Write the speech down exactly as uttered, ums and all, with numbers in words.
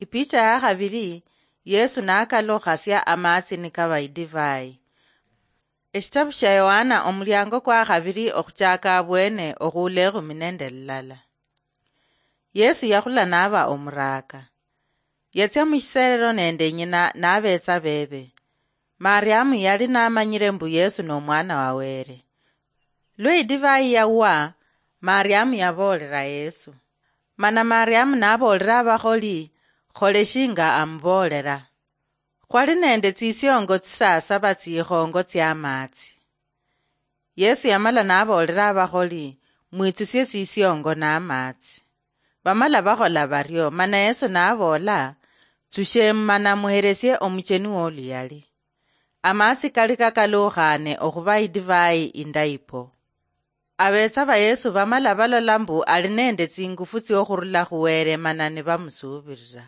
Picha ya khabili, Yesu nakalukhasia amatsi nikaba idivai. Eshitabu shia Yohana omuliango kwa khabili okhuchaka abwene okhuula ekhumi nende lulala. Yesu yakhula naba omuraka. Yatsia mushiserero nende nyina nabetsa bebe. Mariamu yali namanyire mbu Yesu nomwana wa Were. Lwe idivai yawa, Mariamu yaboolera Yesu. Mana Mariamu naboolera abakholi, khole shinga amuboolera. Khwali nende tsisiongo tsisasaba tsikhongo tsiamatsi. Yesu yamala naboolera abakholi, mwitsusie tsisiongo namatsi. Bamala bakhola bario, mana Yesu naboola, tsushemu mana muheresie omucheni woluyali. Amatsi kali kakalukhane okhuba idivai indayi po. Abetsa ba Yesu bamala balola mbu ali nende tsingufu tsiokhurula khu Were mana nibamusuubirira.